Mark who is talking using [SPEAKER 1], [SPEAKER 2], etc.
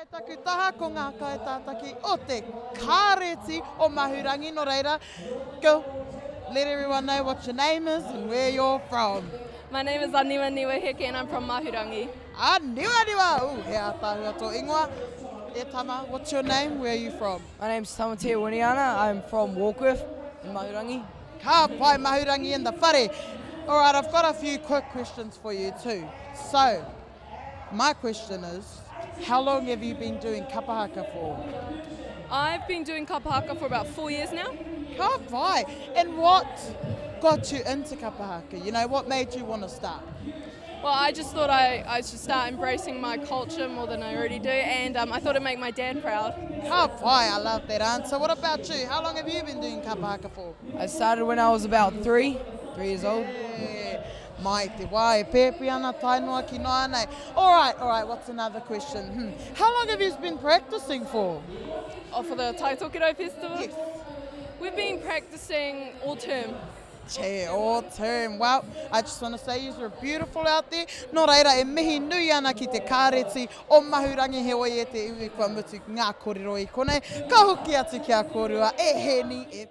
[SPEAKER 1] Kei taku taha ko ngā kaitātaki o te Kāreti o Mahurangi, nō reira, go, let everyone know what your name is and where you're from.
[SPEAKER 2] My name is Aniwaniwa Heke and I'm from Mahurangi.
[SPEAKER 1] Aniwaniwa! Ooh, he ātaahua tō ingoa. E tama, what's your name, where are you from?
[SPEAKER 3] My name's Tamatea Winiana, I'm from Warkworth in Mahurangi.
[SPEAKER 1] Ka pai Mahurangi in the whare. Alright, I've got a few quick questions for you too. So, My question is, how long have you been doing kapa haka for?
[SPEAKER 2] I've been doing kapa haka for about four years now.
[SPEAKER 1] Ka pai. And what got you into kapa haka? You know, what made you want to start?
[SPEAKER 2] Well, I just thought I, I should start embracing my culture more than I already do, and um, I thought it'd make my dad proud.
[SPEAKER 1] Ka pai, I love that answer. What about you? How long have you been doing kapa haka for?
[SPEAKER 3] I started when I was about three, three years old.
[SPEAKER 1] Yeah. Mai te wā e pēpi ana tae noa ki nāianei. Alright, alright, what's another question? Hmm. How long have you been practicing for?
[SPEAKER 2] Oh, for the Tai Tokerau Festival?
[SPEAKER 1] Yes.
[SPEAKER 2] We've been practicing all term.
[SPEAKER 1] Che, all term. Well, I just want to say you are beautiful out there. Nō reira, e mihi nui ana ki te kāreti o Mahurangi heoi e te iwi kua mutu ngā kōrero i konei. Ka hoki atu ki a kōrua e Hēni, e.